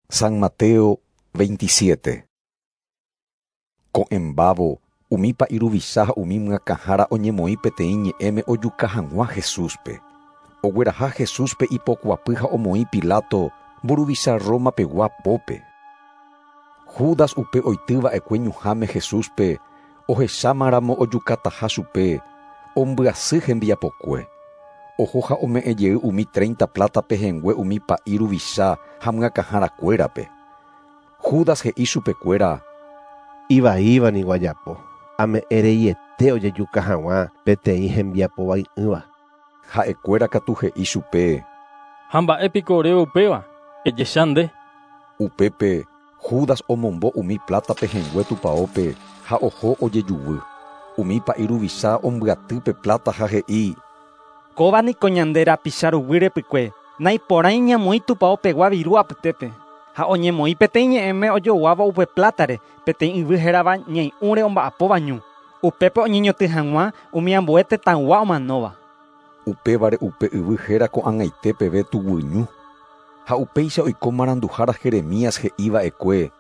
San Mateo 27. Ko'ẽmbávo, umi pa'i ruvicha ha umi myakãhára oñemoĩ peteĩ ñe'ẽme ojuka hag̃ua Jesúspe. Ogueraha Jesúspe ipokuapy ha omoĩ Pilato, mburuvicha Roma-pegua pópe. Judas upe oityva'ekue ñuhãme Jesúspe, ohechámaramo ojukataha chupe, ombyasy hembiapokue. Oho ha ome'ẽ jey umi 30 plata pehẽngue umi pa'i ruvicha ha myakãharakuérape. Judas he'i chupekuéra: Ivaíva niko ajapo, ame'ẽ reiete ojejuka hag̃ua peteĩ hembiapovai'ỹva. Ha'ekuéra katu he'i chupe: Ha mba'épiko oréve upéva, ejecha nde. Upépe Judas omombo umi plata pehẽngue tupãópe ha oho ojejuvy. Umi pa'i ruvicha ombyaty pe plata ha he'i: Kóva niko ñande rapicha ruguy repykue, naiporãi ñamoĩ tupãopegua viru apytépe. Ha oñemoĩ peteĩ ñe'ẽme ojoguáva upe plátare peteĩ yvy hérava ñai'ũre omba'apóva ñu. Upépe oñeñotỹ hag̃ua umi ambue tetãygua omanóva. Upévare upe yvy héra ko'ag̃aite peve tuguyñu. Ha upéicha oiko maranduhára Jeremías he'iva'ekue: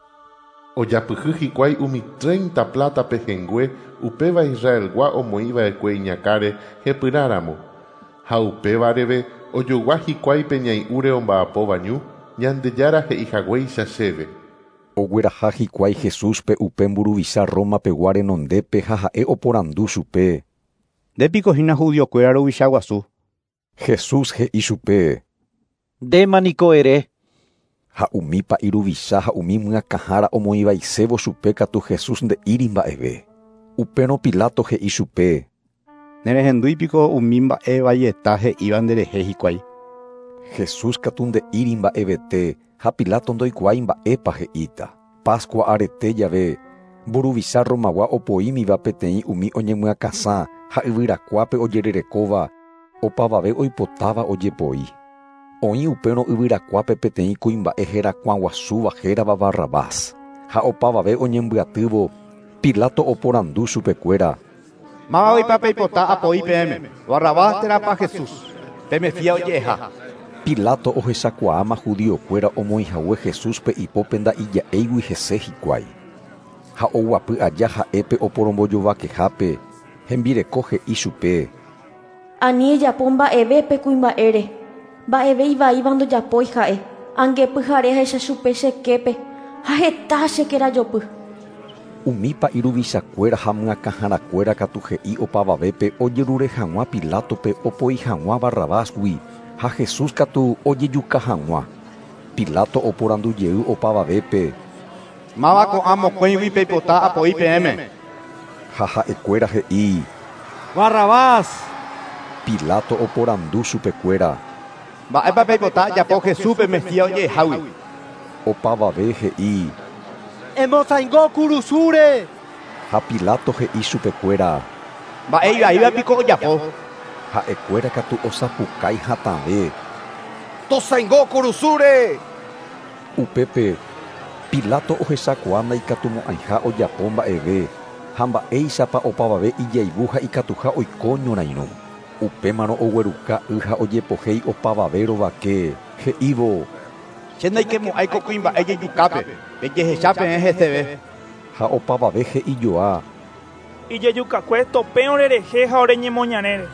Ojapyhy hikuái umi 30 plata pehẽngue upéva Israelgua omoĩva'ekue iñakãre hepyrãramo. Ha upévareve ojogua hikuái pe ñai'ũre omba'apóva ñu, Ñandejára he'ihaguéicha chéve. Ogueraha hikuái Jesúspe upe mburuvicha Roma-pegua renondépe ha ha'e oporandu chupe: Ndépiko hína judiokuéra ruvicha guasu. Jesús he'i chupe: Ndéma niko ere. Ha umi pa'i ruvicha ha umi myakãhára omoĩvaisévo chupe katu Jesús nde'íri mba'eve. Upérõ Pilato he'i chupe: Nerehendúipiko umi mba'e vaieta he'íva nderehe hikuái. Jesús katu nde'íri mba'evete ha Pilato ndoikuaái mba'épa he'íta. Pascua arete jave, mburuvicha Romagua opoímiva peteĩ umi oñemyakãsã ha yvyrakuápe ojererekóva, opavave oipotáva ojepoi. Oĩ upérõ yvyrakuápe peteĩ kuimba'e herakuãguasúva hérava Barrabás. Ha opavave oñembyatývo, Pilato oporandu chupekuéra: Mávapa peipota apoi peẽme, Barrabás térãpa Jesús, pe Mesías oje'eha. Pilato ohechakuaáma judiokuéra omoĩhague Jesúspe ipópe nda'ija'éigui hese hikuái. Ha oguapy aja ha'épe oporombojovakehápe, hembireko he'i chupe: Ani ejapo mba'eve pe kuimba'ére, mba'eve ivaíva ndojapói ha'e, angepyhare ahecha chupe cheképe ha heta chekerajopy. Umi pa'i ruvichakuéra ha myakãharakuéra katu he'i opavavépe ojerure hag̃ua Pilatope opoi hag̃ua Barrabásgui ha Jesús katu ojejuka hag̃ua. Pilato oporandu jey opavavépe: Máva ko'ã mokõigui peipota apoi peẽme. Ha ha'ekuéra he'i: Barrabás. Pilato oporandu chupekuéra: Mba'épa peipota ajapo Jesúspe Mesías oje'ehágui. Opavave he'i: Emosaingo kurusúre. Ha Pilato he'i chupekuéra: Mba'e ivaíva piko ojapo. Ha'ekuéra katu osapukái hatãve: Tosaingo kurusúre. Upépe Pilato ohechakuaa ndaikatumo'ãiha ojapo mba'eve ha mba'éichapa opavave ijayvu ha ikatuha oiko ñorairõ. Upémarõ ogueruka y ha ojepohéi opavave rovake, he'ívo: Che ndaikemo'ãi ko kuimba'e jejukápe, pejehecha peẽ heseve. Ha opavave he'ijoa: Ijejukakue topẽ orerehe ha oreñemoñarére.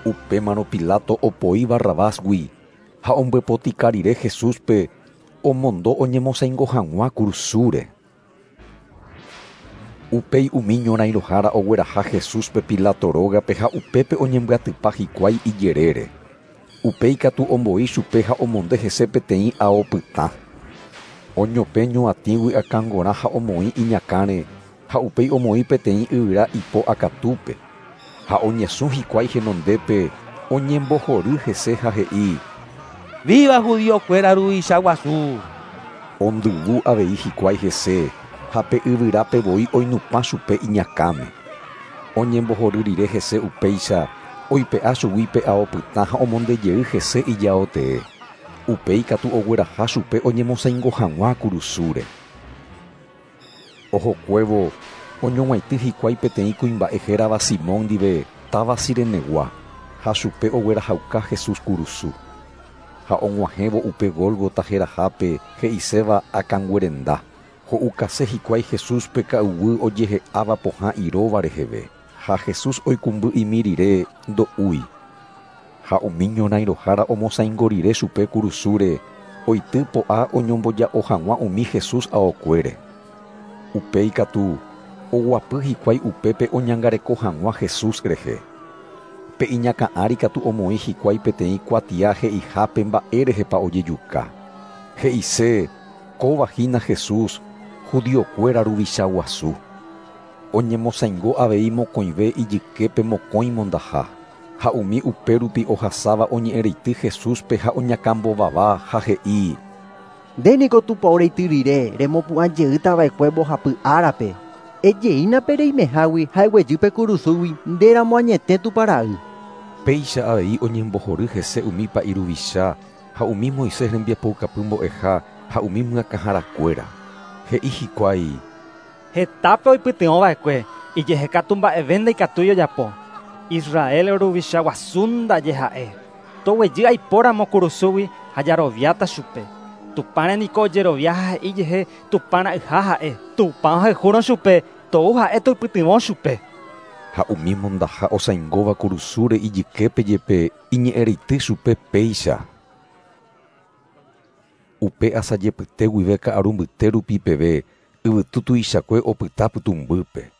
Upémarõ Pilato opoi Barrabásgui ha ombyepotika rire Jesúspe omondo oñemosaingo hag̃ua kurusúre. Upéi umi ñorairõhára ogueraha Jesúspe Pilato rógape ha upépe oñembyatypa hikuái ijerére. Upéi katu omboi chupe ha omonde hese peteĩ ao pytã. Oñopẽ ñuatĩgui akãngora ha omoĩ iñakãre ha upéi omoĩ peteĩ yvyra ipo akatúpe. Ha oñesũ hikuái henondépe oñembohory hese ha he'i: Viva judiokuéra ruvicha guasu. Ondyvu avei hikuái hese ha pe yvyrápe voi oinupã chupe iñakãme. Oñembohory rire hese upéicha oipe'a chugui pe ao pytã ha omondejey hese ijao tee. Upéi katu ogueraha chupe oñemosaingo hag̃ua kurusúre. Ohokuévo oñog̃uaitĩ hikuái peteĩ kuimba'e hérava Simón ndive táva Cirenegua ha chupe oguerahauka Jesús kurusu. Ha og̃uahẽvo upe Gólgota herahápe he'iséva akãnguerenda. Ho'ukase hikuái Jesúspe ka'uguy ojehe'áva pohã iróva reheve. Ha Jesús oikũmby'imi rire ndo'úi. Ha umi ñorãirohára omosãingo rire chupe kurusúre, oity po'a oñomboja'o hag̃ua umi Jesús aokuére. Upéi katu oguapy hikuái upépe oñangareko hag̃ua Jesús rehe. Pe iñakã ári katu omoĩ hikuái peteĩ kuatia he'ihápe mba'érehepa ojejuka. He'ise, Kóva hína Jesús, judiokuéra ruvicha guasu. Oñemosãingo avei mokõive ijyképe mokõi mondaha. Ha umi upérupi ohasáva oñe'ẽreity Jesúspe ha oñakãmbovava ha he'i: Nde niko tupao reity rire remopu'ã jeýta va'ekue mbohapy árape. Ejeína pe reimehágui ha eguejy pe kurusúgui ndéramo añete Tupã ra'y. Péicha avei oñembohory hese umi pa'i ruvicha ha umi Moisés rembiapoukapy mbo'eha ha umi myakãharakuéra. He'i hikuái: Hetápe oipytyvõ va'ekue, ijehe katu mba'eve ndaikatúi ojapo. Israel ruvicha guasu ndaje ha'e. Toguejy aipóramo kurusúgui ha jaroviáta chupe. Tupãre niko ojerovia ha he'i jehe Tupã ra'yha ha'e. Tupã ohayhúrõ chupe, tou ha'e toipytyvõ chupe. Ha umi mondaha osãingóva kurusúre ijyképe jepe iñe'ẽreity chupe péicha. Upe asajepyte guive ka'aru mbyte rupi peve yvytu tuichakue opyta pytũmbýpe.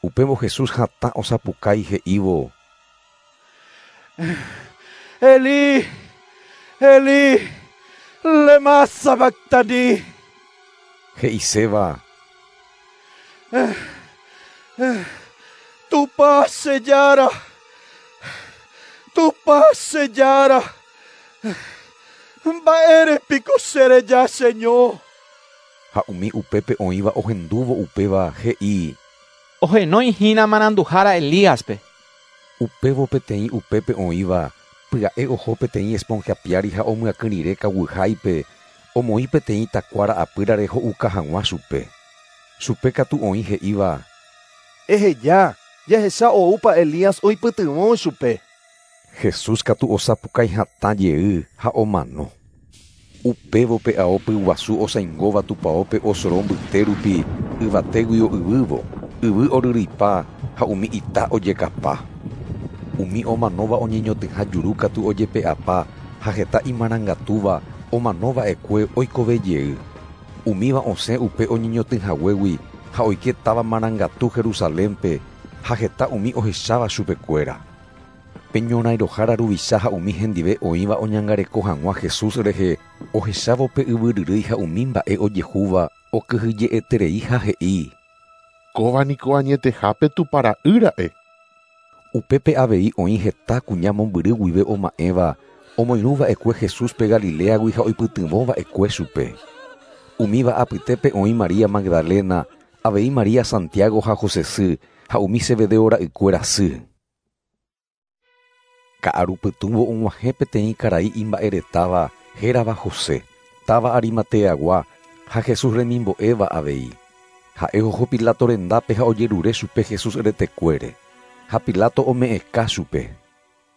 Upévo Jesús hatã osapukái he'ívo: Elí, Elí, lema sabactani. He'iséva: Tupã che Jára, Tupã che Jára, mba'ére piko chereja cheño. Ha umi upépe oĩva ohendúvo upéva he'i: Ohenói hína maranduhára Elíaspe. Upévo peteĩ upépe oĩva pya'e oho peteĩ esponja piári ha omyakỹ rire kaguyháipe, omoĩ peteĩ takuára apýrare ho'uka hag̃ua chupe. Chupe katu oĩ he'íva: Eheja, jahecha oúpa Elías oipytyvõ chupe. Jesús katu osapukái hatã jey ha omano. Upévo pe ao pyguasu osãingóva tupaópe osoro mbyte rupi yvatéguio yvývo, yvy oryryipa ha umi ita ojekapa. Umi omanóva oñeñotỹha juru katu ojepe'apa ha heta imarangatúva omanova'ekue oikove jey. Umíva osẽ upe oñeñotỹhaguégui ha oike táva marangatu Jerusalénpe ha heta umi ohecháva chupekuéra. Pe ñorãirohára ruvicha ha umi hendive oĩva oñangareko hag̃ua Jesús rehe ohechávo pe yvyryrýi ha umi mba'e ojehúva okyhyje'eterei ha he'i: Kóva niko añetehápe Tupã ra'y ra'e. Upépe avei oĩ heta kuña mombyry guive oma'ẽva omoirũva'ekue Jesúspe Galiléagui ha oipytyvõva'ekue chupe. Umíva apytépe oĩ María Magdalena, avei María Santiago ha José sy ha umi Zebedeo ra'ykuéra sy. Ka'arupytũvo og̃uahẽ peteĩ karai imba'eretáva hérava José, táva Arimateagua ha Jesús remimbo'éva avei. Ha'e oho Pilato rendápe ha ojerure chupe Jesús retekuére. Ha Pilato ome'ẽka chupe.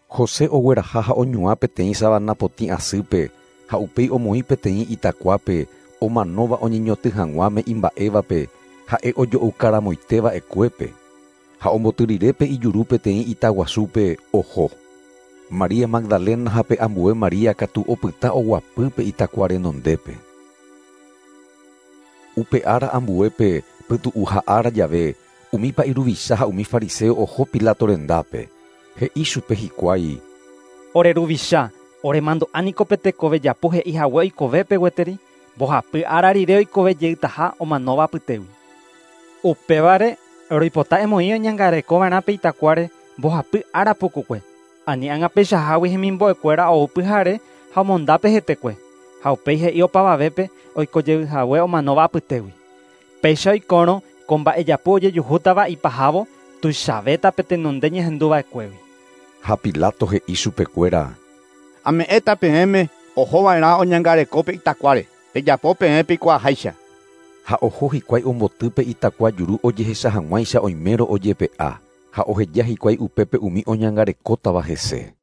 José ogueraha ha oñuã peteĩ savana potĩ asýpe ha upéi omoĩ peteĩ itakuápe omanóva oñeñotỹ hag̃uáme imba'évape ha'e ojo'okaramoiteva'ekuépe. Ha omboty rire pe ijuru peteĩ itaguasúpe oho. María Magdalena ha pe ambue María katu opyta oguapy pe itakua renondépe. Upe ára ambuépe pytu'uha ára jave umi pa'i ruvicha ha umi fariseo oho Pilato rendápe. He'i chupe hikuái: Ore ruvicha, oremandu'a niko pe tekove japu he'i hague oikovépe gueteri, mbohapy ára rire oikove jeytaha omanóva apytégui. Upévare roipota emoĩ oñangarekova'erã pe itakuáre mbohapy ára pukukue. Ani ág̃a peichahágui hemimbo'ekuéra ou pyhare ha omondápe hetekue. Ha upéi he'i opavavépe oikojeyhague omanóva apytégui. Péicha oikórõ ko mba'ejapu ojejuhútava ipahávo tuichavéta pe tenonde ñehenduva'ekuégui. Ha Pilato he'i chupekuéra: Ame'ẽta peẽme ohova'erã oñangareko pe itakuáre. Pejapo peẽ peikuaaháicha. Ha oho hikuái omboty pe itakua juru ojehecha hag̃uáicha oimérõ ojepe'a ha oheja hikuái upépe umi oñangarekótava hese.